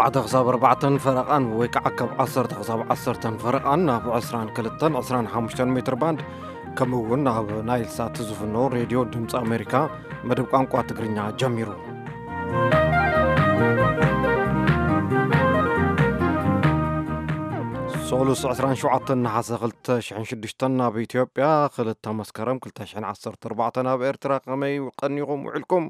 ሓደ ክሳብ ኣርባዕተን ፈረቓን ወይ ከዓ ካብ ዓሰርተ ክሳብ ዓሰርተን ፈረቓን ኣብ ዕስራን ክልተን ዕስራን ሓሙሽተን ሜትር ባንድ፣ ከምኡ እውን ኣብ ናይል ሳት ዝፍኖ ሬድዮ ድምፂ ኣሜሪካ መደብ ቋንቋ ትግርኛ ጀሚሩ። ሶሉስ ዕስራን ሸውዓተን ነሓሰ ክልተ ሽሕን ሽዱሽተን ኣብ ኢትዮጵያ፣ ክልተ መስከረም ክልተ ሽሕን ዓሰርተ ኣርባዕተን ኣብ ኤርትራ። ከመይ ቀኒኹም ውዒልኩም?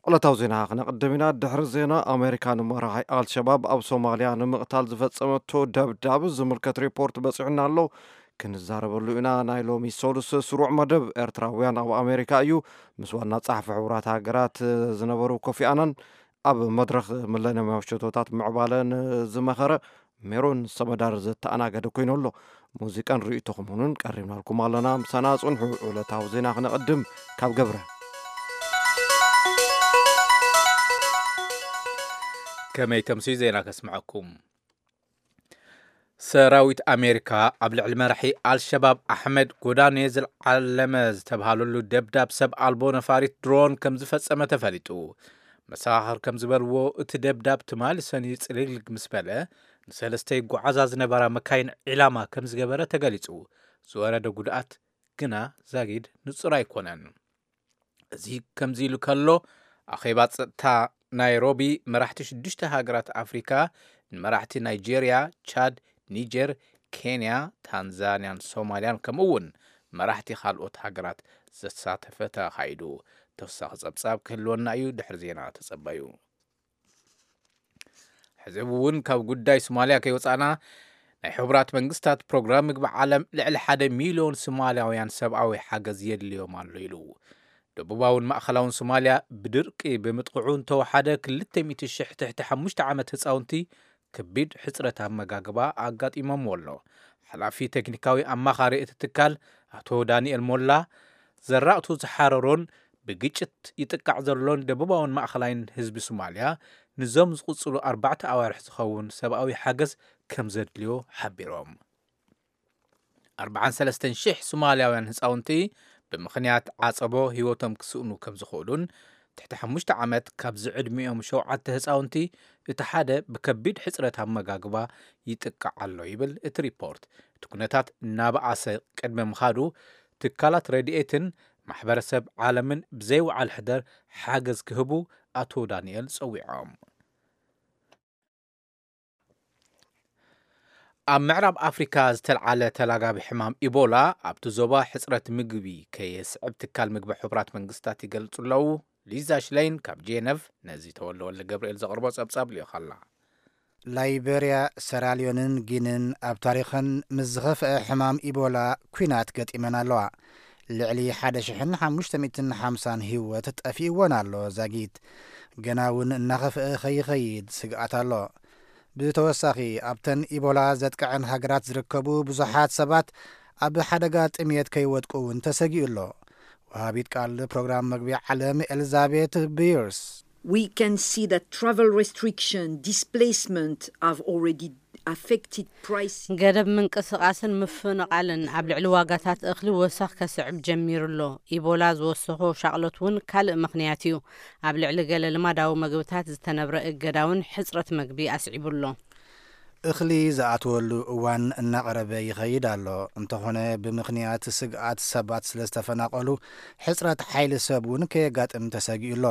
ዕለታዊ ዜና ክነቕድም ኢና። ድሕሪ ዜና፣ ኣሜሪካ ንመራሒ ኣልሸባብ ኣብ ሶማልያ ንምቕታል ዝፈጸመቶ ደብዳብ ዝምልከት ሪፖርት በጺሑና ኣሎ። ክንዛረበሉ ኢና። ናይ ሎሚ ሶሉስ ስሩዕ መደብ ኤርትራውያን ኣብ ኣሜሪካ እዩ። ምስ ዋና ጸሓፊ ሕቡራት ሃገራት ዝነበሩ ኮፊ ኣናን ኣብ መድረኽ ሚለንያማዊ ሸቶታት ምዕባለ ንዝመኸረ ሜሮን ሰመዳር ዘተኣናገደ ኮይኑ ኣሎ። ሙዚቃን ርእይቶኹምን እውን ቀሪብናልኩም ኣለና። ምሳና ጽንሑ። ዕለታዊ ዜና ክነቐድም ካብ ገብረ። ከመይ ተምስዩ ዜና ከስምዐኩም። ሰራዊት ኣሜሪካ ኣብ ልዕሊ መራሒ ኣልሸባብ ኣሕመድ ጎዳኔ ዝዓለመ ዝተብሃለሉ ደብዳብ ሰብ ኣልቦ ነፋሪት ድሮን ከም ዝፈጸመ ተፈሊጡ። መሰኻኽር ከም ዝበልዎ፣ እቲ ደብዳብ ትማሊ ሰኑይ ጽልግልግ ምስ በለ፣ ንሰለስተ ይጓዓዛ ዝነበራ መካይን ዒላማ ከም ዝገበረ ተገሊጹ። ዝወረደ ጉድኣት ግና ዛጊድ ንጹር ኣይኮነን። እዚ ከምዚ ኢሉ ከሎ፣ ኣኼባ ጸጥታ ናይሮቢ መራሕቲ ሽዱሽተ ሃገራት ኣፍሪካ፣ ንመራሕቲ ናይጄርያ፣ ቻድ፣ ኒጀር፣ ኬንያ፣ ታንዛንያን ሶማልያን፣ ከምኡ እውን መራሕቲ ካልኦት ሃገራት ዘሳተፈ ተኻይዱ። ተወሳኺ ጸብጻብ ክህልወና እዩ፣ ድሕሪ ዜና ተጸበዩ። ሕዚ እውን ካብ ጉዳይ ሶማልያ ከይወጻእና፣ ናይ ሕቡራት መንግስታት ፕሮግራም ምግቢ ዓለም ልዕሊ ሓደ ሚልዮን ሶማልያውያን ሰብኣዊ ሓገዝ የድልዮም ኣሎ ኢሉ። ደቡባውን ማእኸላውን ሶማልያ ብድርቂ ብምጥቕዑ እንተወሓደ ክልተ ሚእቲ ሽሕ ትሕቲ ሓሙሽተ ዓመት ህፃውንቲ ከቢድ ሕፅረት ኣመጋግባ ኣጋጢሞምዎ ኣሎ። ሓላፊ ቴክኒካዊ ኣማኻሪ እቲ ትካል ኣቶ ዳንኤል ሞላ፣ ዘራእቱ ዝሓረሮን ብግጭት ይጥቃዕ ዘሎን ደቡባውን ማእኸላይን ህዝቢ ሶማልያ፣ ንዞም ዝቕፅሉ ኣርባዕተ ኣዋርሕ ዝኸውን ሰብኣዊ ሓገዝ ከም ዘድልዮ ሓቢሮም። ኣርባዓን ሰለስተን ሽሕ ሶማልያውያን ህፃውንቲ ብምኽንያት ዓፀቦ ህይወቶም ክስእኑ ከም ዝኽእሉን፣ ትሕቲ ሓሙሽተ ዓመት ካብዚ ዕድሚኦም ሸውዓተ ህፃውንቲ እቲ ሓደ ብከቢድ ሕፅረት ኣመጋግባ ይጥቃዕ ኣሎ ይብል እቲ ሪፖርት። እቲ ኩነታት እናበኣሰ ቅድሚ ምኻዱ፣ ትካላት ረድኤትን ማሕበረሰብ ዓለምን ብዘይወዓል ሕደር ሓገዝ ክህቡ ኣቶ ዳንኤል ጸዊዖም። ኣብ ምዕራብ ኣፍሪካ ዝተልዓለ ተላጋቢ ሕማም ኢቦላ ኣብቲ ዞባ ሕፅረት ምግቢ ከየስዕብ ትካል ምግቢ ሕቡራት መንግስታት ይገልጹ ኣለዉ። ሊዛ ሽለይን ካብ ጄነቭ ነዚ ተወልደ ወልደ ገብርኤል ዘቕርቦ ጸብጻብ ልኢኻላ። ላይቤርያ፣ ሰራልዮንን ጊንን ኣብ ታሪኸን ምስ ዝኸፍአ ሕማም ኢቦላ ኲናት ገጢመን ኣለዋ። ልዕሊ ሓደ ሽሕን ሓሙሽተ ሚእትን ሓምሳን ህይወት ጠፊእወን ኣሎ። ዛጊት ገና እውን እናኸፍአ ከይኸይድ ስግኣት ኣሎ። ብተወሳኺ፣ ኣብተን ኢቦላ ዘጥቅዐን ሃገራት ዝርከቡ ብዙሓት ሰባት ኣብ ሓደጋ ጥምየት ከይወድቁ እውን ተሰጊኡ ኣሎ። ወሃቢት ቃል ፕሮግራም መግቢ ዓለም ኤልዛቤት ብዩርስ፣ We can see that travel restriction, displacement have already affected pricing. ገደብ ምንቅስቓስን ምፍንቓልን ኣብ ልዕሊ ዋጋታት እኽሊ ወሰኽ ከስዕብ ጀሚሩ ኣሎ። ኢቦላ ዝወሰኾ ሻቕሎት እውን ካልእ ምኽንያት እዩ። ኣብ ልዕሊ ገለ ልማዳዊ መግብታት ዝተነብረ እገዳ እውን ሕጽረት መግቢ ኣስዒቡ ኣሎ። እኽሊ ዝኣትወሉ እዋን እናቐረበ ይኸይድ ኣሎ። እንተኾነ፣ ብምኽንያት ስግኣት ሰባት ስለ ዝተፈናቐሉ፣ ሕጽረት ሓይሊ ሰብ እውን ከየጋጥም ተሰጊኡ ኣሎ።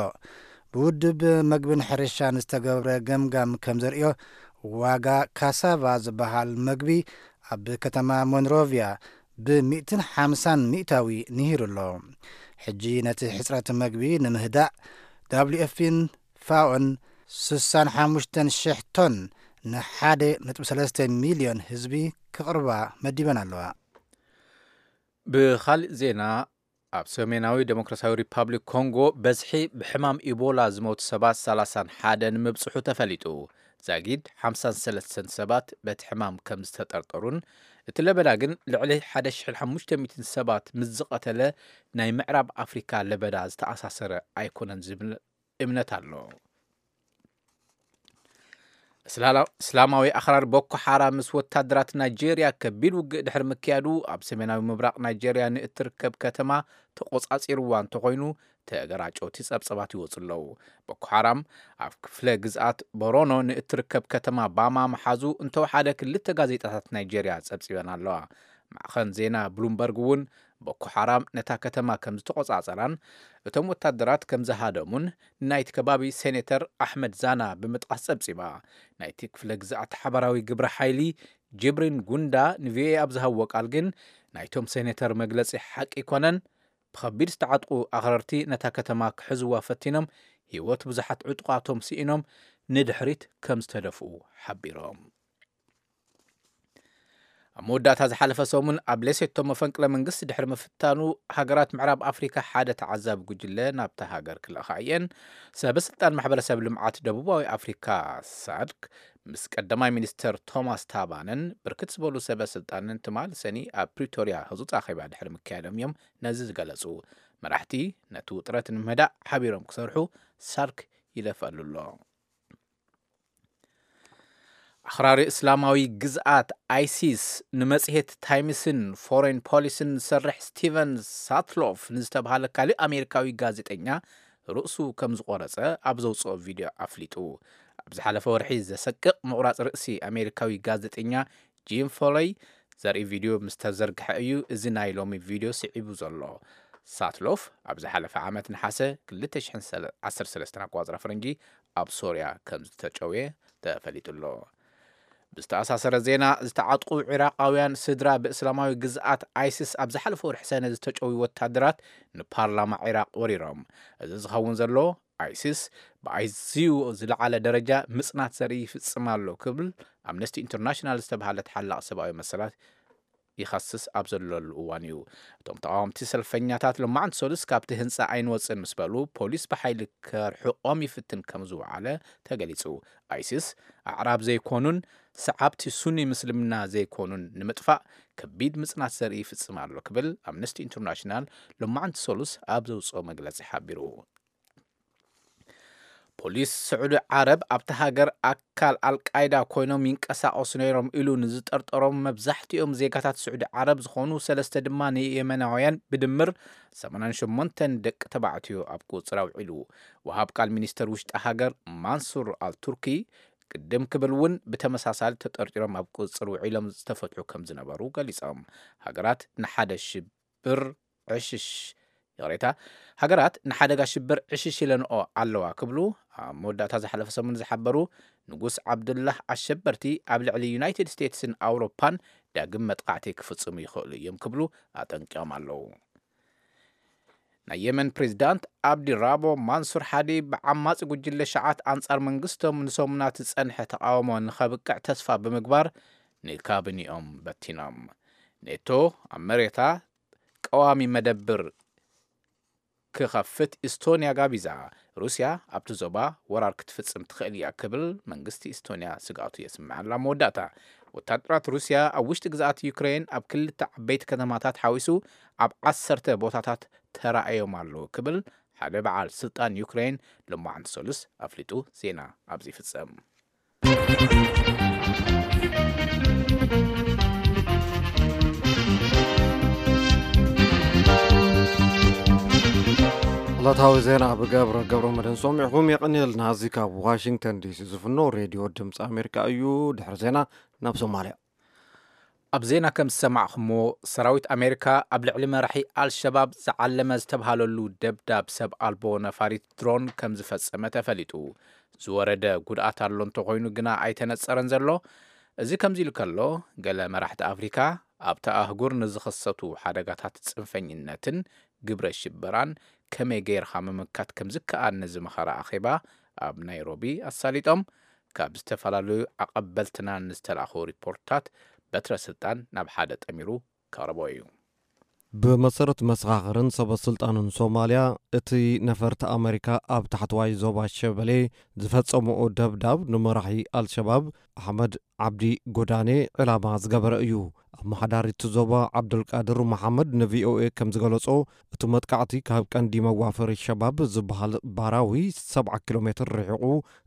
ብውድብ መግብን ሕርሻን ዝተገብረ ገምጋም ከም ዘርእዮ፣ ዋጋ ካሳቫ ዝበሃል መግቢ ኣብ ከተማ ሞንሮቪያ ብሚእትን ሓምሳን ሚእታዊ ንሂሩ ኣሎ። ሕጂ ነቲ ሕጽረት መግቢ ንምህዳእ፣ ዳብሊው ኤፍፒን ፋኦን ስሳን ሓሙሽተን ሽሕ ቶን ንሓደ ነጥቢ ሰለስተ ሚልዮን ህዝቢ ክቕርባ መዲበን ኣለዋ። ብኻልእ ዜና፣ ኣብ ሰሜናዊ ዴሞክራሲያዊ ሪፓብሊክ ኮንጎ በዝሒ ብሕማም ኢቦላ ዝሞቱ ሰባት ሰላሳን ሓደን ምብጽሑ ተፈሊጡ። ዛጊድ ሓምሳን ሰለስተን ሰባት በቲ ሕማም ከም ዝተጠርጠሩን፣ እቲ ለበዳ ግን ልዕሊ ሓደ ሽሕን ሓሙሽተ ሚእትን ሰባት ምስ ዝቐተለ ናይ ምዕራብ ኣፍሪካ ለበዳ ዝተኣሳሰረ ኣይኮነን ዝብል እምነት ኣሎ። እስላላ-፣ እስላማዊ ኣኽራሪ ቦኮ ሓራም ምስ ወታደራት ናይጄርያ ከቢድ ውግእ ድሕሪ ምክያዱ፣ ኣብ ሰሜናዊ ምብራቕ ናይጄርያ ንእትርከብ ከተማ ተቖጻጺርዋ እንተኾይኑ፣ ተገራጨውቲ ጸብጸባት ይወጹ ኣለዉ። ቦኮ ሓራም ኣብ ክፍለ ግዝኣት ቦሮኖ ንእትርከብ ከተማ ባማ ምሓዙ እንተወሓደ ክልተ ጋዜጣታት ናይጄርያ ጸብጺበን ኣለዋ። ማዕኸን ዜና ብሉምበርግ እውን ቦኮ ሓራም ነታ ከተማ ከም ዝተቖጻጸራን እቶም ወታደራት ከም ዝሃደሙን ናይቲ ከባቢ ሴኔተር ኣሕመድ ዛና ብምጥቃስ ጸብጺባ። ናይቲ ክፍለ ግዝኣት ሓባራዊ ግብረ ሓይሊ ጅብሪን ጉንዳ ንቪኦኤ ኣብ ዝሃብዎ ቃል ግን፣ ናይቶም ሴኔተር መግለጺ ሓቂ ኣይኮነን፣ ብኸቢድ ዝተዓጥቁ ኣኽረርቲ ነታ ከተማ ክሕዝዋ ፈቲኖም፣ ህይወት ብዙሓት ዕጡቓቶም ስኢኖም ንድሕሪት ከም ዝተደፍኡ ሓቢሮም። ኣብ መወዳእታ ዝሓለፈ ሰሙን ኣብ ሌሴቶ መፈንቅለ መንግስቲ ድሕሪ ምፍታኑ፣ ሃገራት ምዕራብ ኣፍሪካ ሓደ ተዓዛቢ ጉጅለ ናብታ ሃገር ክልእኻ እየን። ሰበ ስልጣን ማሕበረሰብ ልምዓት ደቡባዊ ኣፍሪካ፣ ሳድክ፣ ምስ ቀዳማይ ሚኒስተር ቶማስ ታባንን ብርክት ዝበሉ ሰበ ስልጣንን ትማል ሰኒ ኣብ ፕሪቶርያ ህጹጽ ኣኼባ ድሕሪ ምክያዶም እዮም ነዚ ዝገለጹ። መራሕቲ ነቲ ውጥረት ንምህዳእ ሓቢሮም ክሰርሑ ሳድክ ይለፈሉ ኣሎ። ኣኽራሪ እስላማዊ ግዝኣት ኣይሲስ ንመጽሔት ታይምስን ፎሬን ፖሊስን ዝሰርሕ ስቲቨን ሳትሎፍ ንዝተባሃለ ካልእ ኣሜሪካዊ ጋዜጠኛ ርእሱ ከም ዝቖረጸ ኣብ ዘውጽኦ ቪድዮ ኣፍሊጡ። ኣብ ዝሓለፈ ወርሒ ዘሰቅቕ ምቑራጽ ርእሲ ኣሜሪካዊ ጋዜጠኛ ጂም ፎለይ ዘርኢ ቪድዮ ምስ ተዘርግሐ እዩ እዚ ናይ ሎሚ ቪድዮ ስዒቡ ዘሎ። ሳትሎፍ ኣብ ዝሓለፈ ዓመት ነሓሰ ክልተ ሽሕን ዓሰርተ ሰለስተን ኣቆጻጽራ ፈረንጂ ኣብ ሶርያ ከም ዝተጨውየ ተፈሊጡ ኣሎ። ብዝተኣሳሰረ ዜና፣ ዝተዓጥቁ ዒራቃውያን ስድራ ብእስላማዊ ግዝኣት ኣይሲስ ኣብ ዝሓለፈ ወርሒ ሰነ ዝተጨውዩ ወታደራት ንፓርላማ ዒራቅ ወሪሮም። እዚ ዝኸውን ዘሎ፣ ኣይሲስ ብኣዝዩ ዝለዓለ ደረጃ ምጽናት ዘርኢ ይፍጽም ኣሎ ክብል ኣምነስቲ ኢንተርናሽናል ዝተባሃለ ተሓላቒ ሰብኣዊ መሰላት ይኸስስ ኣብ ዘለሉ እዋን እዩ። እቶም ተቓወምቲ ሰልፈኛታት ሎማዕንቲ ሰሉስ ካብቲ ህንጻ ኣይንወጽእን ምስ በሉ፣ ፖሊስ ብሓይሊ ከርሕቖም ይፍትን ከም ዝወዓለ ተገሊጹ። ኣይሲስ ኣዕራብ ዘይኮኑን ሰዓብቲ ሱኒ ምስልምና ዘይኮኑን ንምጥፋእ ከቢድ ምጽናት ዘርኢ ይፍጽም ኣሎ ክብል ኣምነስቲ ኢንተርናሽናል ሎማዕንቲ ሰሉስ ኣብ ዘውጽኦ መግለጺ ሓቢሩ። ፖሊስ ስዑዲ ዓረብ ኣብታ ሃገር ኣካል ኣልቃይዳ ኮይኖም ይንቀሳቐሱ ነይሮም ኢሉ ንዝጠርጠሮም መብዛሕትኦም ዜጋታት ስዑዲ ዓረብ ዝኾኑ ሰለስተ ድማ ንየመናውያን ብድምር ሰማንያን ሸሞንተን ደቂ ተባዕትዮ ኣብ ቁጽር ኣውዒሉ። ወሃብ ቃል ሚኒስተር ውሽጢ ሃገር ማንሱር ኣልቱርኪ ቅድም ክብል እውን ብተመሳሳሊ ተጠርጢሮም ኣብ ቁጽር ውዒሎም ዝተፈትሑ ከም ዝነበሩ ገሊጾም። ሃገራት ንሓደ ሽብር ዕሽሽ፣ ይቕሬታ፣ ሃገራት ንሓደጋ ሽብር ዕሽሽ ኢለንኦ ኣለዋ ክብሉ ኣብ መወዳእታ ዝሓለፈ ሰሙን ዝሓበሩ ንጉስ ዓብዱላህ፣ ኣሸበርቲ ኣብ ልዕሊ ዩናይትድ ስቴትስን ኣውሮፓን ዳግም መጥቃዕቲ ክፍጽሙ ይኽእሉ እዮም ክብሉ ኣጠንቂቖም ኣለዉ። ናይ የመን ፕሬዚዳንት ኣብዲ ራቦ ማንሱር ሓዲ ብዓማጺ ጉጅለ ሸዓት ኣንጻር መንግስቶም ንሰሙናት ዝጸንሐ ተቓውሞ ንኸብቅዕ ተስፋ ብምግባር ንካቢኒኦም በቲኖም። ኔቶ ኣብ መሬታ ቀዋሚ መደብር ክኸፍት ኢስቶንያ ጋቢዛ። ሩስያ ኣብቲ ዞባ ወራር ክትፍጽም ትኽእል እያ ክብል መንግስቲ ኢስቶንያ ስግኣቱ የስምዕ ኣሎ። ኣብ መወዳእታ፣ ወታደራት ሩስያ ኣብ ውሽጢ ግዝኣት ዩክሬን ኣብ ክልተ ዓበይቲ ከተማታት ሓዊሱ ኣብ ዓሰርተ ቦታታት ተራእዮም ኣለዉ ክብል ሓደ በዓል ስልጣን ዩክሬን ሎማዕንቲ ሰሉስ ኣፍሊጡ። ዜና ኣብዚ ይፍጸም። ዕለታዊ ዜና ብገብረ ገብረ መድህን ሰሚዕኹም። የቐንየልና። እዚ ካብ ዋሽንግተን ዲሲ ዝፍኖ ሬድዮ ድምፂ ኣሜሪካ እዩ። ድሕሪ ዜና ናብ ሶማልያ። ኣብ ዜና ከም ዝሰማዕኹሞ፣ ሰራዊት ኣሜሪካ ኣብ ልዕሊ መራሒ ኣልሸባብ ዝዓለመ ዝተብሃለሉ ደብዳብ ሰብ ኣልቦ ነፋሪት ድሮን ከም ዝፈጸመ ተፈሊጡ። ዝወረደ ጉድኣት ኣሎ እንተኾይኑ ግና ኣይተነጸረን ዘሎ። እዚ ከምዚ ኢሉ ከሎ፣ ገለ መራሕቲ ኣፍሪካ ኣብቲ ኣህጉር ንዝኸሰቱ ሓደጋታት ጽንፈኝነትን ግብረ ሽበራን ከመይ ገይርካ ምምካት ከም ዝከኣል ንዝመኸረ ኣኼባ ኣብ ናይሮቢ ኣሳሊጦም። ካብ ዝተፈላለዩ ኣቐበልትና ንዝተላእኹ ሪፖርትታት በትረ ስልጣን ናብ ሓደ ጠሚሩ ከቕርቦ እዩ። ብመሰረት መሰኻኽርን ሰበ ስልጣንን ሶማልያ፣ እቲ ነፈርቲ ኣመሪካ ኣብ ታሕተዋይ ዞባ ሸበሌ ዝፈጸምኦ ደብዳብ ንመራሒ ኣልሸባብ ኣሕመድ ዓብዲ ጎዳኔ ዕላማ ዝገበረ እዩ። ኣመሓዳሪ እቲ ዞባ ዓብዱልቃድር መሓመድ ንቪኦኤ ከም ዝገለጾ፣ እቲ መጥቃዕቲ ካብ ቀንዲ መዋፈሪ ሸባብ ዝበሃል ባራዊ ሰብዓ ኪሎ ሜትር ርሒቑ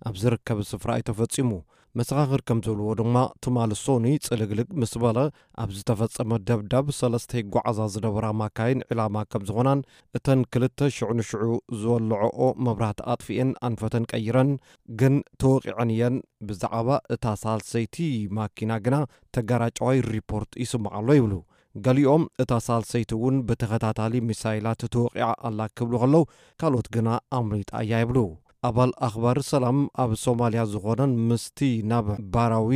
ኣብ ዝርከብ ስፍራ እዩ ተፈጺሙ። መሰኻኽር ከም ዝብልዎ ድማ፣ ትማሊ ሶኒ ጽልግልግ ምስ በለ ኣብ ዝተፈጸመ ደብዳብ፣ ሰለስተ ይጓዓዛ ዝነበራ ማካይን ዕላማ ከም ዝኾናን፣ እተን ክልተ ሽዑ ንሽዑ ዝወለዐኦ መብራህቲ ኣጥፊኤን ኣንፈተን ቀይረን ግን ተወቒዐን እየን። ብዛዕባ እታ ሳልሰይቲ ማኪና ግና ተጋራጫዋይ ሪፖርት ይስማዕ ኣሎ ይብሉ። ገሊኦም እታ ሳልሰይቲ እውን ብተኸታታሊ ሚሳይላት ተወቒዓ ኣላ ክብሉ ከለዉ፣ ካልኦት ግና ኣምሊጣ እያ ይብሉ። ኣባል ኣኽባር ሰላም ኣብ ሶማልያ ዝኾነን ምስቲ ናብ ባራዊ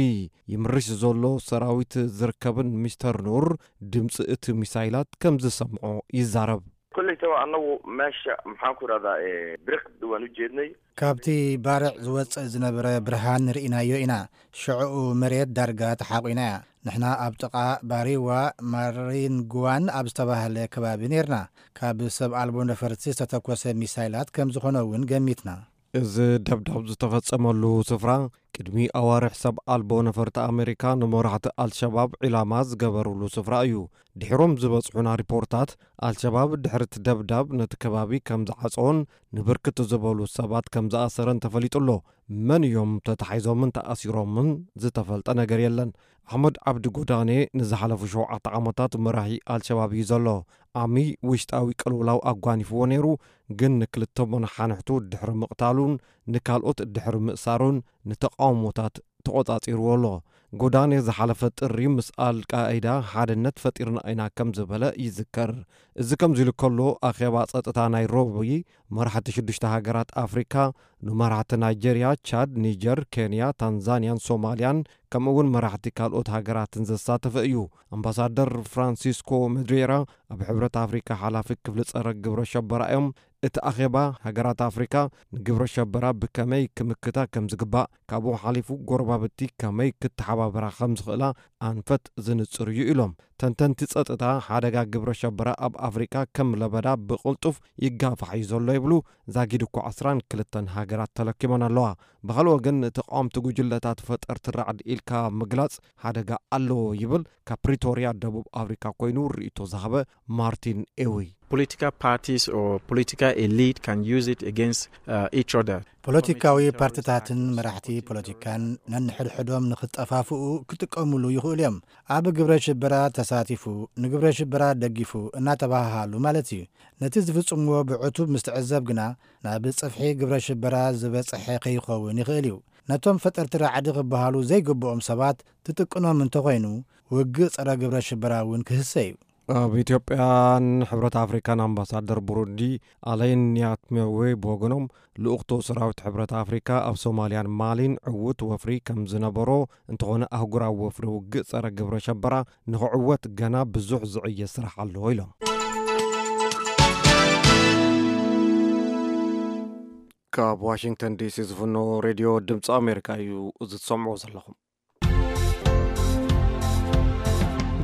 ይምርሽ ዘሎ ሰራዊት ዝርከብን ሚስተር ኑር፣ ድምፂ እቲ ሚሳይላት ከም ዝሰምዖ ይዛረብ። Kollaytaba annagu meesha maxaan ku idhahdaa, ee, biriq waan u jeednay. ካብቲ ባርዕ ዝወጽእ ዝነበረ ብርሃን ርኢናዮ ኢና። ሽዕኡ መሬት ዳርጋ ተሓቑና እያ። ንሕና ኣብ ጥቓ ባሪዋ ማሪንግዋን ኣብ ዝተባህለ ከባቢ ነይርና። ካብ ሰብ ኣልቦ ነፈርቲ ዝተተኮሰ ሚሳይላት ከም ዝኾነ እውን ገሚትና። እዚ ደብዳብ ዝተፈጸመሉ ስፍራ፣ ቅድሚ ኣዋርሕ ሰብ ኣልቦ ነፈርቲ ኣሜሪካ ንመራሕቲ ኣልሸባብ ዒላማ ዝገበሩሉ ስፍራ እዩ። ድሕሮም ዝበጽሑና ሪፖርታት፣ ኣልሸባብ ድሕሪ እቲ ደብዳብ ነቲ ከባቢ ከም ዝዓጸዎን ንብርክት ዝበሉ ሰባት ከም ዝኣሰረን ተፈሊጡ ኣሎ። መን እዮም ተታሒዞምን ተኣሲሮምን ዝተፈልጠ ነገር የለን። ኣሕመድ ዓብዲ ጎዳኔ ንዝሓለፉ ሸውዓተ ዓመታት መራሒ ኣልሸባብ እዩ ዘሎ። ኣሚ ውሽጣዊ ቅልውላው ኣጓኒፍዎ ነይሩ፣ ግን ንክልተ መናሓንሕቱ ድሕሪ ምቕታሉን ንካልኦት ድሕሪ ምእሳሩን ንተቓውሞታት ተቖጻጺርዎ ኣሎ። ጎዳኔ ዝሓለፈ ጥሪ ምስ ኣልቃይዳ ሓድነት ፈጢርና ኢና ከም ዝበለ ይዝከር። እዚ ከምዚ ኢሉ ከሎ፣ ኣኼባ ጸጥታ ናይሮቢ መራሕቲ ሽዱሽተ ሃገራት ኣፍሪካ፣ ንመራሕቲ ናይጀርያ፣ ቻድ፣ ኒጀር፣ ኬንያ፣ ታንዛንያን ሶማልያን፣ ከምኡ እውን መራሕቲ ካልኦት ሃገራትን ዘሳተፈ እዩ። ኣምባሳደር ፍራንሲስኮ መድሬራ፣ ኣብ ሕብረት ኣፍሪካ ሓላፊ ክፍሊ ጸረ ግብረ ሸበራ እዮም። እቲ ኣኼባ፣ ሃገራት ኣፍሪካ ንግብረ ሸበራ ብከመይ ክምክታ ከም ዝግባእ፣ ካብኡ ሓሊፉ ጎረባብቲ ከመይ ክተሓባበራ ከም ዝኽእላ ኣንፈት ዝንጽር እዩ ኢሎም። ተንተንቲ ጸጥታ፣ ሓደጋ ግብረ ሸበራ ኣብ ኣፍሪካ ከም ለበዳ ብቕልጡፍ ይጋፋሕ እዩ ዘሎ ይብሉ። ዛጊድ እኳ ዕስራን ክልተን ሃገራት ተለኪመን ኣለዋ። ብኻልእ ወገን፣ ተቓወምቲ ጉጅለታት ፈጠርቲ ራዕዲ ኢልካ ምግላጽ ሓደጋ ኣለዎ ይብል፣ ካብ ፕሪቶርያ ደቡብ ኣፍሪካ ኮይኑ ርእይቶ ዝሃበ ማርቲን ኤዊ። Political parties or political elite can use it against uh, each other. ፖለቲካዊ ፓርቲታትን መራሕቲ ፖለቲካን ነንሕድሕዶም ንኽጠፋፍኡ ክጥቀሙሉ ይኽእሉ እዮም። ኣብ ግብረ ሽበራ ተሳቲፉ፣ ንግብረ ሽበራ ደጊፉ እናተባሃሃሉ ማለት እዩ። ነቲ ዝፍጽምዎ ብዕቱብ ምስ ትዕዘብ ግና፣ ናብ ጽፍሒ ግብረ ሽበራ ዝበጽሐ ከይኸውን ይኽእል እዩ። ነቶም ፈጠርቲ ራዕዲ ክበሃሉ ዘይግብኦም ሰባት ትጥቅኖም እንተኾይኑ፣ ውግእ ጸረ ግብረ ሽበራ እውን ክህሰ እዩ። ኣብ ኢትዮጵያን ሕብረት ኣፍሪካን ኣምባሳደር ቡሩንዲ ኣለይን ኒያትሜዌ ብወገኖም፣ ልኡኽቶ ሰራዊት ሕብረት ኣፍሪካ ኣብ ሶማልያን ማሊን ዕዉት ወፍሪ ከም ዝነበሮ፣ እንተኾነ ኣህጉራዊ ወፍሪ ውግእ ጸረ ግብረ ሸበራ ንኽዕወት ገና ብዙሕ ዝዕየ ስራሕ ኣሎ ኢሎም። ካብ ዋሽንግተን ዲሲ ዝፍኖ ሬድዮ ድምፂ ኣሜሪካ እዩ እዚ ትሰምዑ ዘለኹም።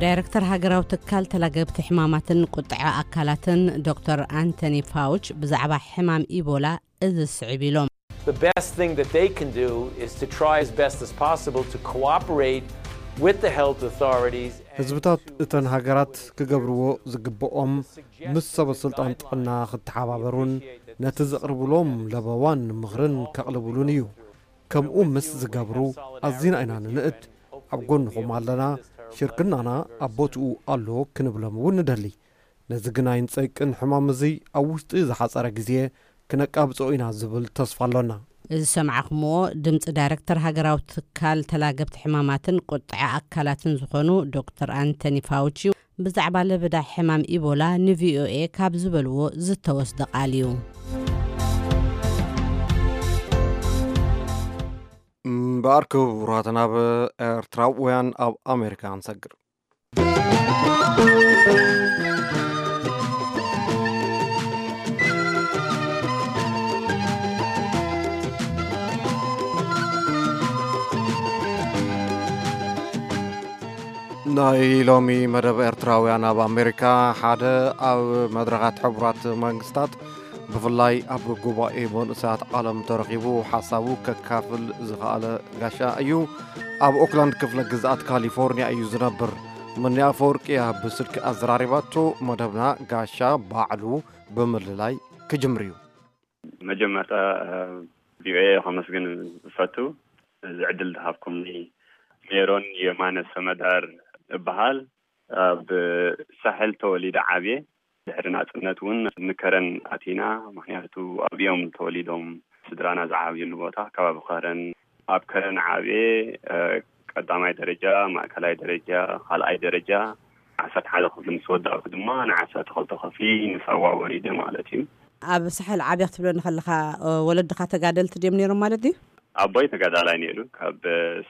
ዳይረክተር ሃገራዊ ትካል ተላገብቲ ሕማማትን ቁጥዐ ኣካላትን ዶክተር ኣንቶኒ ፋውች ብዛዕባ ሕማም ኢቦላ እዚ ስዕብ ኢሎም። The best thing that they can do is to try as best as possible to cooperate with the health authorities. ህዝብታት እተን ሃገራት ክገብርዎ ዝግብኦም፣ ምስ ሰበ ስልጣን ጥዕና ክተሓባበሩን ነቲ ዘቕርብሎም ለበዋን ምኽርን ከቕልብሉን እዩ። ከምኡ ምስ ዝገብሩ፣ ኣዚና ኢና ንንእድ። ኣብ ጎንኹም ኣለና፣ ሽርክናና ኣብ ቦትኡ ኣሎ ክንብሎም እውን ንደሊ። ነዚ ግናይን ጸይቅን ሕማም እዚ ኣብ ውሽጢ ዝሓጸረ ግዜ ክነቃብጾ ኢና ዝብል ተስፋ ኣሎና። እዚ ሰማዕኹምዎ ድምፂ ዳይረክተር ሃገራዊ ትካል ተላገብቲ ሕማማትን ቁጥዐ ኣካላትን ዝኾኑ ዶክተር ኣንቶኒ ፋውቺ ብዛዕባ ለበዳ ሕማም ኢቦላ ንቪኦኤ ካብ ዝበልዎ ዝተወስደ ቃል እዩ። እምበኣር ክቡራት ናብ ኤርትራውያን ኣብ ኣሜሪካ ንሰግር። ናይ ሎሚ መደብ ኤርትራውያን ኣብ ኣሜሪካ፣ ሓደ ኣብ መድረኻት ሕቡራት መንግስታት፣ ብፍላይ ኣብ ጉባኤ መንእሰያት ዓለም ተረኺቡ ሓሳቡ ከካፍል ዝኸኣለ ጋሻ እዩ። ኣብ ኦክላንድ ክፍለ ግዝኣት ካሊፎርኒያ እዩ ዝነብር። ምኒ ኣፈወርቂ እያ ብስልኪ ኣዘራሪባቶ። መደብና ጋሻ ባዕሉ ብምልላይ ክጅምር እዩ። መጀመርታ ቪኦኤ ከመስግን እፈቱ። እዚ ዕድል ዝሃብኩምኒ። ሜሮን የማነ ሰመዳር እበሃል። ኣብ ሳሕል ተወሊደ ዓብየ። ድሕሪ ናጽነት እውን ንከረን ኣቲና፣ ምኽንያቱ ኣብኦም ተወሊዶም ስድራና ዝዓብዩሉ ቦታ ከባቢ ከረን። ኣብ ከረን ዓብየ፣ እ፣ ቀዳማይ ደረጃ፣ ማእከላይ ደረጃ፣ ካልኣይ ደረጃ፣ ዓሰርተ ሓደ ክፍሊ ምስ ወዳእኩ ድማ ንዓሰርተ ክልተ ክፍሊ ንሳዋ ወሪደ ማለት እዩ። ኣብ ሳሕል ዓብያ ክትብለኒ ከለኻ፣ እ፣ ወለድኻ ተጋደልቲ ድዮም ነይሮም ማለት ድዩ? ኣቦይ ተጋዳላይ ነይሩ፣ ካብ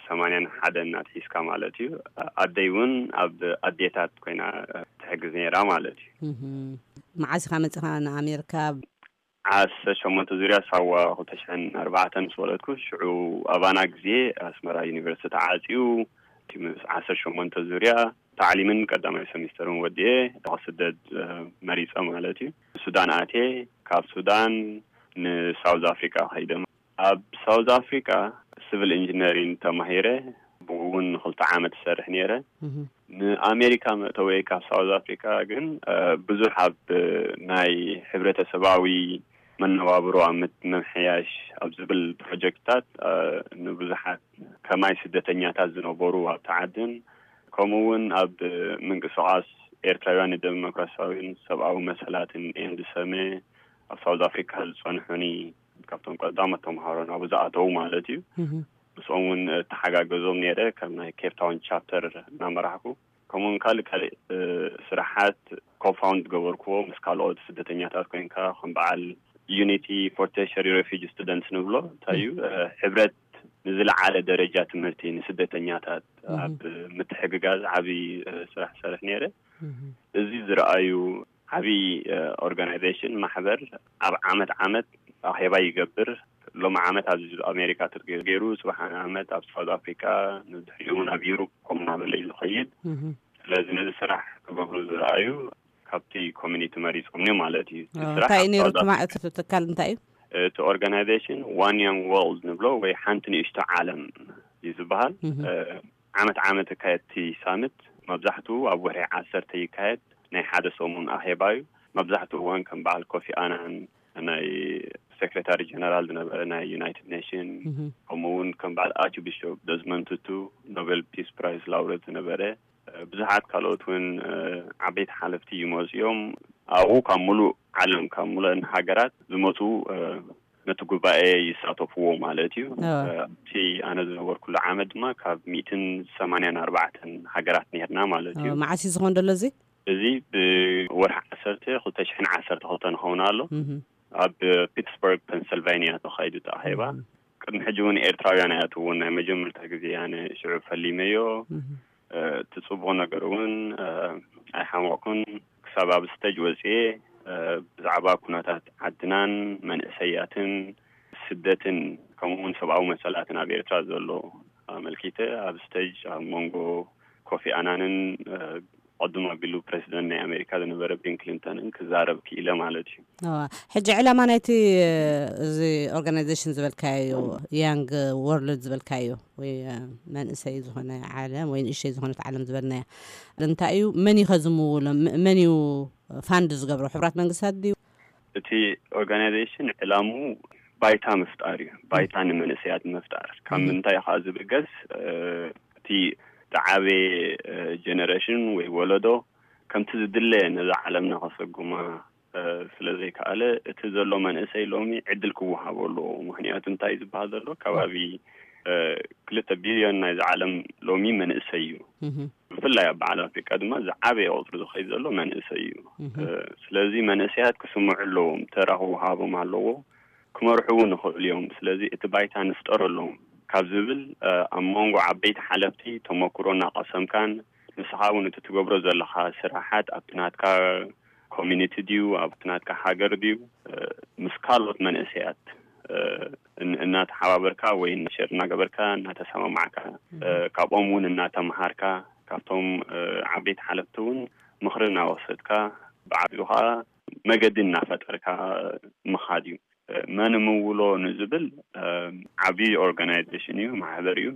ሰማንያን ሓደን እናትሒዝካ ማለት እዩ። ኣደይ እውን ኣብ ኣዴታት ኮይና ትሕግዝ ነይራ ማለት እዩ። እህም። መዓስ ኢኻ መጺኻ ንኣሜሪካ? ዓሰርተ ሸሞንተ ዙርያ ሳዋ ክልተ ሽሕን ኣርባዕተን ምስ ወለድኩ፣ ሽዑ ኣባና ግዜ ኣስመራ ዩኒቨርሲቲ ተዓጽዩ፣ እቲ ምስ ዓሰርተ ሸሞንተ ዙርያ ታዕሊምን ቀዳማይ ሰሚስተርን ወዲኤ ክስደድ፣ እ፣ መሪጸ ማለት እዩ። ሱዳን ኣትየ፣ ካብ ሱዳን ንሳውዝ ኣፍሪቃ ከይደ። ኣብ ሳውዝ ኣፍሪቃ ሲቪል ኢንጂነሪንግ ተማሂረ፣ ብኡ እውን ንክልተ ዓመት እሰርሕ ነይረ። እህ። ንኣሜሪካ መእተወይ ካብ ሳውዝ ኣፍሪቃ ግን፣ እ፣ ብዙሕ ኣብ ናይ ሕብረተሰባዊ መነባብሮ ኣብ ምት-፣ ምምሕያሽ ኣብ ዝብል ፕሮጀክትታት፣ እ፣ ንብዙሓት ከማይ ስደተኛታት ዝነበሩ ኣብቲ ዓድን፣ ከምኡ እውን ኣብ ምንቅስቓስ ኤርትራውያን ንደሞክራሲያዊን ሰብኣዊ መሰላትን ኤንድሰመ ኣብ ሳውዝ ኣፍሪካ ዝጸንሑኒ ካብቶም ቀዳሞት ተምሃሮ ናብኡ ዝኣተዉ ማለት እዩ። እህ። ምስኦም እውን እተሓጋገዞም ነይረ፣ ከም ናይ ኬፕ ታውን ቻፕተር እናመራሕኩ። ከምኡውን ካልእ ካልእ፣ እ፣ ስራሓት ኮፋውንድ ዝገበርክዎ ምስ ካልኦት ስደተኛታት ኮይንካ፣ ከም በዓል ዩኒቲ ፎር ተርሸሪ ሬፊጂ ስቱደንትስ ንብሎ፣ እንታይ እዩ፣ እህ። እ፣ ሕብረት ንዝለዓለ ደረጃ ትምህርቲ ንስደተኛታት እህ። ኣብ ምትሕግጋዝ ዓብዪ፣ እ፣ ስራሕ ሰርሕ ነይረ። እህ። እዚ ዝረኣዩ ዓብዪ፣ እ፣ ኦርጋናይዜሽን፣ ማሕበር፣ ኣብ ዓመት ዓመት ኣኼባ ይገብር። ሎሚ ዓመት ኣብዚ ኣሜሪካ ትርገ-፣ ገይሩ፣ ጽባሕ ዓመት ኣብ ሳውዝ ኣፍሪካ፣ ንድሕሪኡ እውን ኣብ ዩሮፕ ከምኡ እናበለ እዩ ዝኸይድ። እህ። ስለዚ ነዚ ስራሕ ክገብሩ ዝረኣዩ ካብቲ ኮሚኒቲ መሪጾም እዮም ማለት እዩ። እቲ ኦ፣ ስራሕ እንታይ እዩ ኣብ ነይሩ ሳውዝ እቲ ማ-፣ ኣፍሪካ እቲ ትካል እንታይ እዩ? እቲ ኦርጋናይዜሽን ዋን ያንግ ወርልድ ንብሎ ወይ ሓንቲ ንእሽቶ ዓለም እዩ ዝበሃል። እህ። እ፣ ዓመት ዓመት እካየድ እቲ ሳምት፣ መብዛሕትኡ ኣብ ወርሒ ዓሰርተ ይካየድ። ናይ ሓደ ሰሙን ኣኼባ እዩ። መብዛሕትኡ እዋን ከም በዓል ኮፊ ኣናን፣ ናይ ሴክሬታሪ ጀነራል ዝነበረ ናይ ዩናይትድ ኔሽን፣ እህ። ከምኡ እውን ከም በዓል ኣርች ቢሾፕ ደዝመንድ ቱቱ፣ ኖቤል ፒስ ፕራይስ ላውሬት ዝነበረ፣ እ፣ ብዙሓት ካልኦት እውን፣ እ፣ ዓበይቲ ሓለፍቲ ይመፁ እዮም። ኣብኡ ካብ ሙሉእ ዓለም፣ ካብ ሙሉእን ሃገራት ዝመፁ፣ እ፣ ነቲ ጉባኤ ይሳተፍዎ ማለት እዩ። እወ። እ፣ ኣብቲ ኣነ ዝነበርኩሉ ዓመት ድማ ካብ ሚእትን ሰማንያን ኣርባዕተን ሃገራት ነርና ማለት እዩ። እወ፣ መዓስ እዩ ዝኸውን ዘሎ እዚ? እዚ ብወርሒ ዓሰርተ ክልተ ሽሕን ዓሰርተ ክልተን ይኸውን ኣሎ። እህ። ኣብ ፒትስበርግ ፔንስልቫኒያ ተኻይዱ እቲ ኣኼባ። እህ። ቅድሚ ሕጂ እውን ኤርትራውያን ኣይኣትውዎን፣ ናይ መጀመርታ ግዜ ኣነ ሽዑ ፈሊመዮ። እህ። እ፣ እቲ ጽቡቕ ነገር እውን፣ እ፣ ኣይሓመቕኩን። ክሳብ ኣብ ስቴጅ ወጽኤ፣ እ፣ ብዛዕባ ኩነታት ዓድናን መንእሰያትን ስደትን ከምኡ እውን ሰብኣዊ መሰላትን ኣብ ኤርትራ ዘሎ ኣመልኪተ ኣብ ስቴጅ ኣብ መንጎ ኮፊ ኣናንን፣ እ፣ ቅድም ኣቢሉ ፕሬዚደንት ናይ ኣሜሪካ ዝነበረ ቢል ክሊንተንን ክዛረብ ክኢለ ማለት እዩ። እዋ፣ ሕጂ ዕላማ ናይቲ፣ እዚ ኦርጋናይዜሽን ዝበልካዮ፣ ያንግ ወርልድ ዝበልካዮ፣ ወይ፣ እ፣ መንእሰይ ዝኾነ ዓለም ወይ ንእሽተይ ዝኾነት ዓለም ዝበልናያ እንታይ እዩ? መን እዩ ከ ዝምውሎ? ም-፣ መን እዩ ፋንድ ዝገብሮ? ሕቡራት መንግስታት ድዩ? እቲ ኦርጋናይዜሽን ዕላምኡ ባይታ ምፍጣር እዩ። ባይታ ንመንእሰያት ምፍጣር። ካብ እህ። ምንታይ እዩ ከዓ ዝብገስ? እ፣ እቲ ዝዓበየ፣ እ፣ ጀነሬሽን ወይ ወለዶ ከምቲ ዝድለ ነዛ ዓለምና ከሰጉማ፣ እ፣ ስለ ዘይከኣለ፣ እቲ ዘሎ መንእሰይ ሎሚ ዕድል ክወሃቦ ኣለዎ። ምኽንያቱ እንታይ ዝበሃል ዘሎ ከባቢ፣ እ፣ ክልተ ቢልዮን ናይዚ ዓለም ሎሚ መንእሰይ እዩ። እህ። ብፍላይ ኣብ በዓል ኣፍሪቃ ድማ ዝዓበየ ቁፅሪ ዝኸይድ ዘሎ መንእሰይ እዩ። እህ። እ፣ ስለዚ መንእሰያት ክስምዑ ኣለዎም፣ ተራ ክወሃቦም ኣለዎ፣ ክመርሑ እውን ይኽእሉ እዮም። ስለዚ እቲ ባይታ ንፍጠረሎም ካብ ዝብል፣ እ፣ ኣብ መንጎ ዓበይቲ ሓለፍቲ ተመክሮ እናቐሰምካን ንስኻ እውን እቲ ትገብሮ ዘለኻ ስራሓት ኣብቲ ናትካ ኮሚኒቲ ድዩ፣ ኣብቲ ናትካ ሃገር ድዩ፣ እ፣ ምስ ካልኦት መንእሰያት፣ እ፣ እን-፣ እናተሓባበርካ ወይ ሸር እናገበርካ፣ እናተሰማማዕካ፣ እ፣ እህ። ካብኦም እውን እናተምሃርካ፣ ካብቶም፣ እ፣ ዓበይቲ ሓለፍቲ እውን ምኽሪ እናወሰድካ፣ ብዓቢኡ ከዓ መገዲ እናፈጠርካ ምኻድ እዩ። እ፣ መን ምውሎ ንዝብል፣ እ፣ ዓብዪ ኦርጋናይዜሽን እዩ፣ ማሕበር እዩ።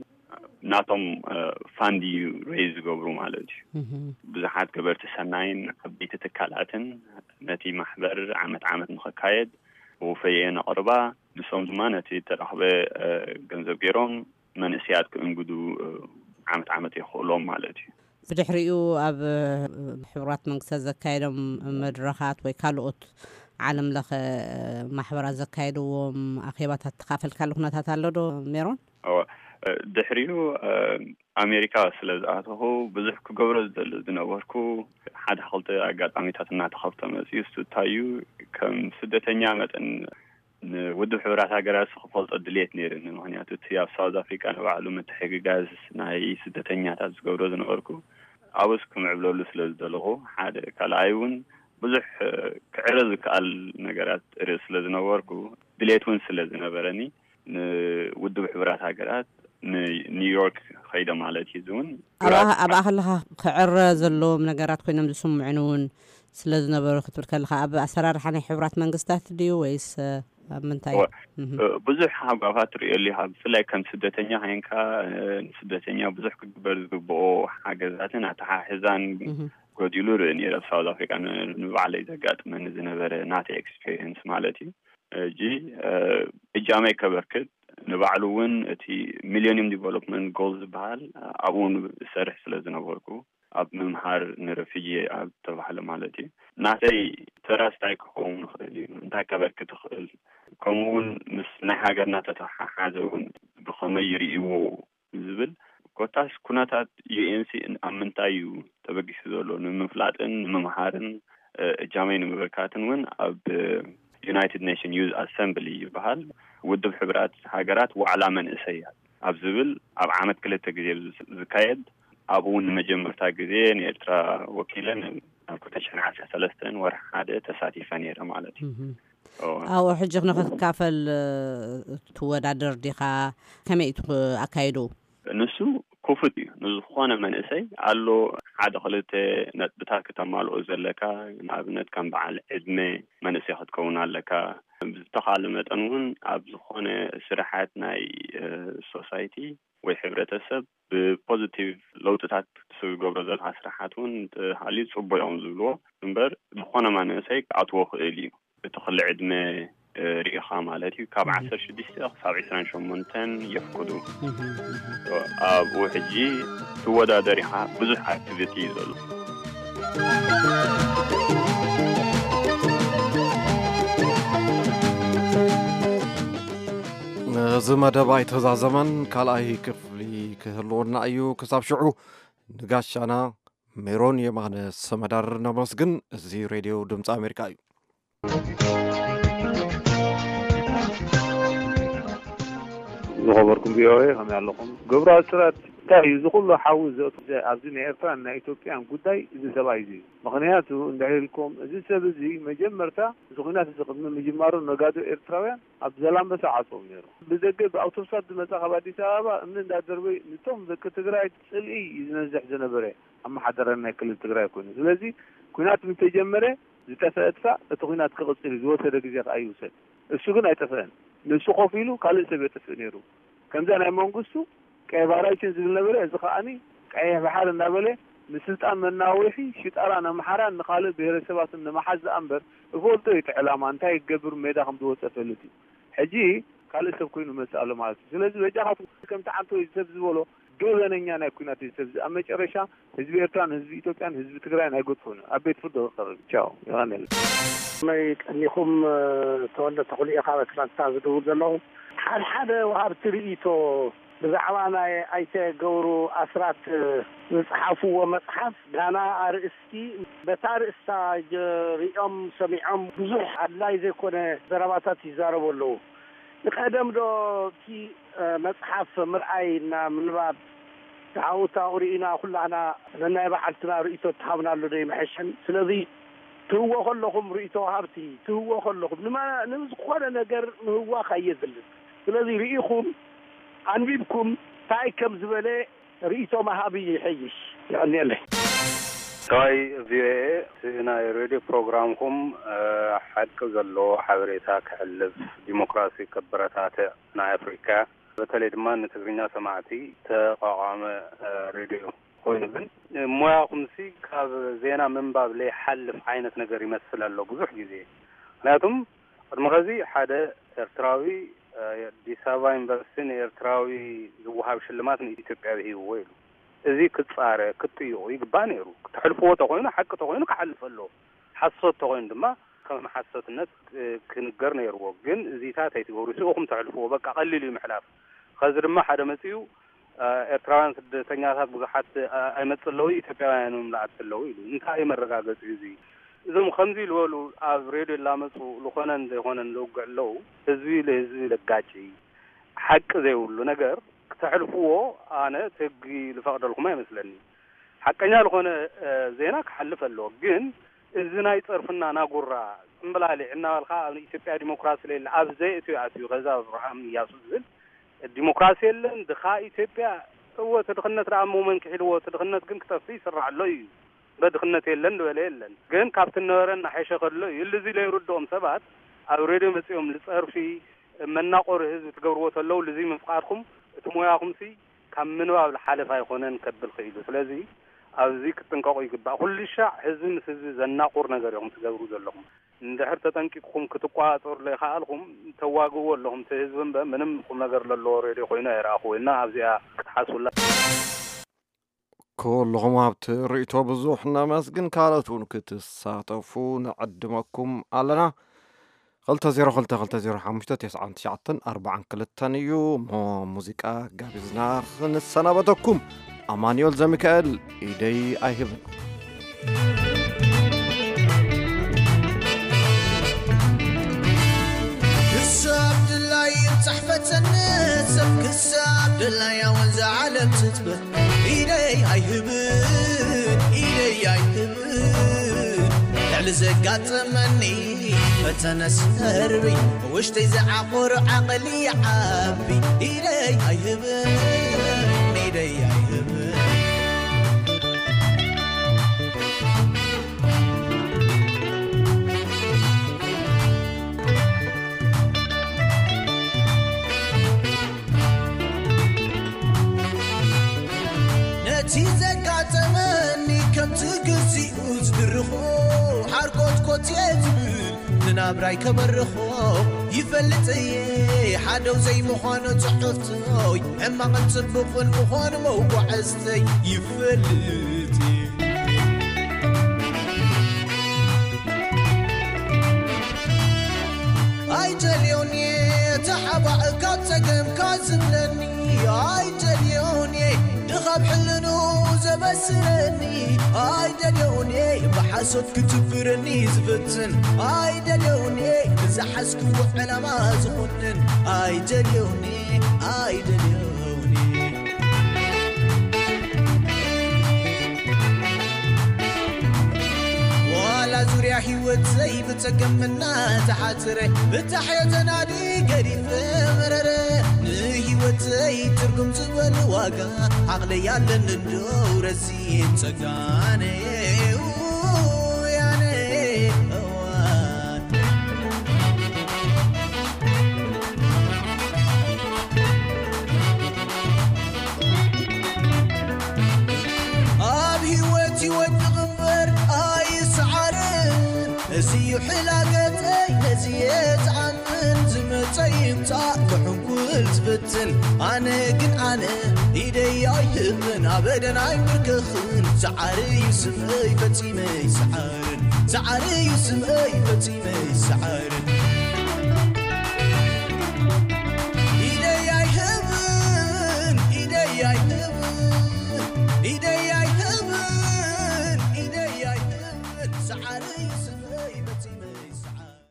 ናቶም፣ እ፣ ፋንድ እዩ ሬይዝ ዝገብሩ ማለት እዩ። እህ። ብዙሓት ገበርቲ ሰናይን ዓበይቲ ትካላትን ነቲ ማሕበር ዓመት ዓመት ንኽካየድ ወፈየ ነቕርባ። ንሶም ድማ ነቲ ተረኽበ፣ እ፣ ገንዘብ ገይሮም መንእሰያት ክእንግዱ ዓመት ዓመት የኽእሎም ማለት እዩ። ብድሕሪኡ ኣብ ሕቡራት መንግስታት ዘካየዶም መድረኻት ወይ ካልኦት ዓለም ለኸ ማሕበራት ዘካየድዎም ኣኼባታት ተኻፈልካሉ ኩነታት ኣሎ ዶ ሜሮን? ድሕሪኡ ኣሜሪካ ስለ ዝኣተኹ ብዙሕ ክገብሮ ዝደሊ ዝነበርኩ ሓደ ክልተ ኣጋጣሚታት እናተኸፍተ መፅዩ። እሱ እንታይ እዩ፣ ከም ስደተኛ መጠን ንውድብ ሕቡራት ሃገራት ክፈልጦ ድልየት ነይርኒ። ምክንያቱ እቲ ኣብ ሳውዝ ኣፍሪካ ንባዕሉ ምትሕግጋዝ ናይ ስደተኛታት ዝገብሮ ዝነበርኩ ኣብስ ክምዕብለሉ ስለ ዝደለኹ ሓደ፣ ካልኣይ እውን ብዙሕ ክዕረ ዝከኣል ነገራት ርኢ ስለ ዝነበርኩ ድሌት እውን ስለ ዝነበረኒ ንውድብ ሕቡራት ሃገራት ንኒውዮርክ ኸይደ ማለት እዩ። እዚ እውን ኣብኣ ከለኻ ክዕረ ዘለዎም ነገራት ኮይኖም ዝስምዑን እውን ስለ ዝነበሩ ክትብል ከለኻ ኣብ ኣሰራርሓ ናይ ሕቡራት መንግስታት ድዩ ወይስ ኣብ ምንታይ? ብዙሕ ሃጓፋት ትርእየሉ ኢኻ። ብፍላይ ከም ስደተኛ ኮይንካ ንስደተኛ ብዙሕ ክግበር ዝግብኦ ሓገዛትን ኣተሓሕዛን ጎዲሉ ርኢ ነይረ። ኣብ ሳውዝ ኣፍሪካ ንባዕለይ ዘጋጥመኒ ዝነበረ ናተይ ኤክስፔሪንስ ማለት እዩ። እጂ እጃመይ ከበርክት ንባዕሉ እውን እቲ ሚሊኒየም ዲቨሎፕመንት ጎል ዝበሃል ኣብኡ እውን ዝሰርሕ ስለ ዝነበርኩ ኣብ ምምሃር ንረፊጂ ኣብ ተባህለ ማለት እዩ ናተይ ተራስ እንታይ ክኸውን ይኽእል እዩ፣ እንታይ ከበርክት ይኽእል፣ ከምኡ እውን ምስ ናይ ሃገርና ተተሓሓዘ እውን ብኸመይ ይርእይዎ ዝብል ኮታስ ኩነታት ዩኤንሲ ኣብ ምንታይ እዩ ተበጊሱ ዘሎ ንምፍላጥን ንምምሃርን እጃመይ ንምብርካትን እውን ኣብ ዩናይትድ ኔሽን ዩዝ ኣሰምብሊ ይበሃል ውድብ ሕብራት ሃገራት ዋዕላ መንእሰያት ኣብ ዝብል ኣብ ዓመት ክልተ ግዜ ዝካየድ ኣብኡ እውን ንመጀመርታ ግዜ ንኤርትራ ወኪለ ናብ ክልተ ሽሕን ዓሰርተ ሰለስተን ወርሒ ሓደ ተሳቲፈ ነይረ ማለት እዩ። ኣብኡ ሕጂ ንክትካፈል ትወዳደር ዲኻ? ከመይ እዩ ኣካይዱ? ንሱ ክፉት እዩ ንዝኾነ መንእሰይ ኣሎ። ሓደ ክልተ ነጥብታት ክተማልኦ ዘለካ፣ ንኣብነት ከም በዓል ዕድመ መንእሰይ ክትከውን ኣለካ። ብዝተኻለ መጠን እውን ኣብ ዝኾነ ስራሓት ናይ ሶሳይቲ ወይ ሕብረተሰብ ብፖዚቲቭ ለውጥታት ዝገብሮ ዘለካ ስራሓት እውን ተሃልዩ ፅቡቅ እዮም ዝብልዎ እምበር ዝኾነ መንእሰይ ክኣትዎ ክእል እዩ። እቲ ክሊ ዕድመ ርኢኻ ማለት እዩ። ካብ ዓሰርተ ሽዱሽተ ክሳብ ዕስራን ሸሞንተን የፍቅዱ። ኣብኡ ሕጂ ትወዳደር ኢኻ። ብዙሕ ኣክቲቪቲ እዩ ዘሎ። እዚ መደብ ኣይተዛዘመን፣ ካልኣይ ክፍሊ ክህልወና እዩ። ክሳብ ሽዑ ንጋሻና ሜሮን የማነ ሰመዳር ነመስግን። እዚ ሬድዮ ድምፂ ኣሜሪካ እዩ። ዝኸበርኩም ቪኦኤ ከመይ ኣለኹም? ግብረ ኣስራት እንታይ እዩ? እዚ ኩሉ ሓዊ ዘእቱ ኣብዚ ናይ ኤርትራን ናይ ኢትዮጵያን ጉዳይ እዚ ሰብኣይ እዚ እዩ። ምኽንያቱ እንድሕር ኢልኩም እዚ ሰብ እዚ መጀመርታ እዚ ኩናት እዚ ቅድሚ ምጅማሩ ነጋዶ ኤርትራውያን ኣብ ዘላንበሳ ዓፅዎም ነይሩ። ብደገ ብኣውቶቡሳት ዝመፃ ካብ ኣዲስ ኣበባ እምኒ እንዳደርበዩ ንቶም ደቂ ትግራይ ፅልኢ እዩ ዝነዝሕ ዝነበረ። ኣመሓደራ ናይ ክልል ትግራይ ኮይኑ። ስለዚ ኩናት ምስ ተጀመረ ዝጠፈአ ጥፋእ እቲ ኩናት ክቕፅል እዩ ዝወሰደ ግዜ ከዓ ይውሰድ። እሱ ግን ኣይጠፈአን። ንሱ ኮፍ ኢሉ ካልእ ሰብ የጥፍእ ነይሩ። ከምዛ ናይ መንግስቱ ቀይ ባራይችን ዝብል ነበረ። እዚ ከዓኒ ቀይሕ ባሕር እናበለ ንስልጣን መናወሒ ሽጣራን ኣምሓራን ንካልእ ብሄረሰባትን ንምሓዝ ዝኣ እምበር እፈልጦ እዩ እቲ ዕላማ እንታይ ክገብር ሜዳ ከም ዝወፀ ፈልጥ እዩ። ሕጂ ካልእ ሰብ ኮይኑ መፅእ ኣሎ ማለት እዩ። ስለዚ በጃኻትኩም ከምቲ ዓንቶ እዩ ሰብ ዝበሎ ገበነኛ ናይ ኩናት እዩ ሰብ ኣብ መጨረሻ ህዝቢ ኤርትራን ህዝቢ ኢትዮጵያን ህዝቢ ትግራይን ኣይገድፎን እዩ። ኣብ ቤት ፍርዲ ክቐርብ ቻው። የቐንየለይ። መይ ቀኒኹም ተወልደ ተኽሉ ኢኻ ኣትላንታ ዝድውል ዘለኹ። ሓድሓደ ወሃብቲ ርእይቶ ብዛዕባ ናይ ኣይተ ገብሩ ኣስራት ዝጸሓፍዎ መጽሓፍ ጋና ኣርእስቲ በታ ኣርእስታ ሪኦም ሰሚዖም ብዙሕ ኣድላይ ዘይኮነ ዘረባታት ይዛረቡ ኣለዉ። ንቀደም ዶ እቲ መጽሓፍ ምርኣይ እና ምንባብ ተዓውታ ሪኢና ኩላህና ነናይ በዓልትና ርእይቶ ተሃብናሉ ዶ ይምሐሸን? ስለዚ ትህዎ ከለኹም ርእይቶ ወሃብቲ ትህዎ ከለኹም ንዝኾነ ነገር ምህዋኽ ኣየድልን። ስለዚ ርኢኹም ኣንቢብኩም እንታይ ከም ዝበለ ርእይቶ ምሃብ ይሐይሽ። የቐንየለይ። ሰብኣይ ቪኦኤ እቲ ናይ ሬድዮ ፕሮግራምኩም ሓቂ ዘለዎ ሓበሬታ ክሕልፍ ዲሞክራሲ ከበረታትዕ ናይ ኣፍሪካ በተለይ ድማ ንትግርኛ ሰማዕቲ ተቋቋመ ሬድዮ ኮይኑ ግን ሞያኹምሲ ካብ ዜና ምንባብ ለይሓልፍ ዓይነት ነገር ይመስል ኣሎ ብዙሕ ግዜ። ምክንያቱም ቅድሚ ኸዚ ሓደ ኤርትራዊ ኣዲስ ኣበባ ዩኒቨርሲቲ ንኤርትራዊ ዝወሃብ ሽልማት ንኢትዮጵያዊ ሂብዎ ኢሉ። እዚ ክጻረ፣ ክጥይቑ ይግባእ ነይሩ። ክተሕልፍዎ ተኾይኑ፣ ሓቂ ተኾይኑ ክሓልፍ ኣለዎ። ሓሶት ተኾይኑ ድማ ከም ሓሶትነት፣ እ፣ ክንገር ነይርዎ። ግን እዚታት ኣይትገብሩ፣ ስኡኹም ተሕልፍዎ፣ በቃ ቀሊል እዩ ምሕላፍ። ኸዚ ድማ ሓደ መጺኡ፣ እ፣ ኤርትራውያን ስደተኛታት ብዙሓት፣ እ፣ ኣይመጽእ ኣለዉ፣ ኢትዮጵያውያን እዮም ዝኣቱ ኣለዉ ኢሉ። እንታይ እዩ መረጋገጺ እዚ? እዞም ከምዚ ዝበሉ ኣብ ሬድዮ ላመጹ ዝኾነን ዘይኾነን ዘውግዕ ኣለዉ፣ ህዝቢ ለህዝቢ ለጋጭ እዩ። ሓቂ ዘይብሉ ነገር ክተሕልፍዎ ኣነ እቲ ህጊ ዝፈቕደልኩም ኣይመስለኒ። ሓቀኛ ዝኾነ፣ እ፣ ዜና ክሓልፍ ኣለዎ። ግን እዚ ናይ ጸርፍና ናጉራ ጽምብላሊዕ እናበልካ ኣብ ኢትዮጵያ ዲሞክራሲ ለየለ ኣብ ዘየእትዩ ኣትዩ ከዛ ኣብርሃም እያሱ ዝብል ዲሞክራሲ የለን፣ ድኻ ኢትዮጵያ። እወ፣ እቲ ድኽነት ደኣ እሞ መን ክሒድዎ? እቲ ድኽነት ግን ክጠፍእ ይስራሕ ኣሎ እዩ። በድኽነት የለን ዝበለ የለን። ግን ካብቲ ነበረ እናሐሸ ከሎ እዩ። እልዚ ለይርድኦም ሰባት ኣብ ሬድዮ መጺኦም ልጸርፊ መናቆሪ ህዝቢ ትገብርዎ ተለዉ ልዚ ምፍቃድኩም እቲ ሞያኹምሲ ካብ ምንባብ ልሓለፍ ኣይኾነን ከብል ክኢሉ። ስለዚ ኣብዚ ክትጥንቀቑ ይግባእ። ኩሉ ሻዕ ህዝቢ ምስ ህዝቢ ዘናቁር ነገር ኢኹም ትገብሩ ዘለኹም። እንድሕር ተጠንቂቅኩም ክትቋጸሩ ዘይከኣልኩም ተዋግእዎ ኣለኹም። እቲ ህዝቢ እምበ ምንም ቁም ነገር ለለዎ ሬድዮ ኮይኑ ኣይረኣኹ እና ኣብዚኣ ክትሓስቡላ። ኩልኹም ኣብቲ ርእይቶ ብዙሕ ነመስግን። ካልኦት እውን ክትሳተፉ ንዕድመኩም ኣለና። ክልተ ዜሮ ክልተ ክልተ ዜሮ ሓሙሽተ ተስዓን ትሽዓተን ኣርባዓን ክልተን እዩ። እሞ ሙዚቃ ጋቢዝና ክንሰናበተኩም። ኣማኑኤል ዘሚካኤል ኢደይ ኣይህብን። ክሳብ ድላይ ይብጻሕ ፈተነ ሰብ ክሳብ ድላይ ኣወንዛ ዓለም ትጥበ ኢደይ ኣይህብን ኢደይ ኣይህብን ልዕሊ ዘጋጠመኒ ፈተነ ሰርቢ ውሽጠይ ዝዓቆሮ ዓቕሊ ይዓቢ ኢደይ ኣይህብን ኢደይ ኣይህብን ነቲ ዘጋጠመኒ ከምቲ ግዚኡ ዝድርኾ ሓርኮትኮት እየ ዝብል ንናብራይ ከበርኾ ይፈልጥ እየ ሓደው ዘይምዃኑ ጽሕፍቶይ ሕማቕን ጽቡቕን ምዃኑ መጓዕዝተይ ይፈልጥ እየ ኣይደልዮን እየ ተሓባእ ካብ ጸገምካ ዝብለኒ ኣይደልዮን እየ ድኻብ ሕልኑ ዘበስረኒ ኣይደልዮን እየ ብሓሶት ክትብረኒ ዝፍትን ኣይደልዮን እየ ንዝሓዝክዎ ዕላማ ዝኾንን ኣይደልዮን እየ ኣይደልዮን እየ ዋላ ዙርያ ህይወት ዘይብጸገም እናተሓጽረ ብታሕዮ ተናዲ ገዲፈ መረረ ንህይወተይ ትርጉም ዝበል ዋጋ ዓቕለይ ኣለኒ እንደው ረዚን ጸጋነ ውያነ እዋን ኣብ ህይወት ይወድቕ እምበር ኣይስዓርን እዚ እዩ ሕላገተይ ነዚ የትኣምን ዝመጸ ይምጻእ ክሕንኩል ዝፍትን ኣነ ግን ኣነ ኢደይ ኣይህብን ኣበደን ኣይምርክኽን ሰዓሪ እዩ ስምእይ ፈጺመ ይስዓርን ሰዓሪ እዩ ስምእይ ፈጺመ ይስዓርን ኢደይ ኣይህብን ኢደይ ኣይህብን ኢደይ ኣይህብን ኢደይ ኣይህብን ሰዓሪ እዩ ስምእይ ፈጺመ ይስዓርን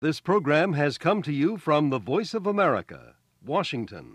This program has come to you from the Voice of America, Washington.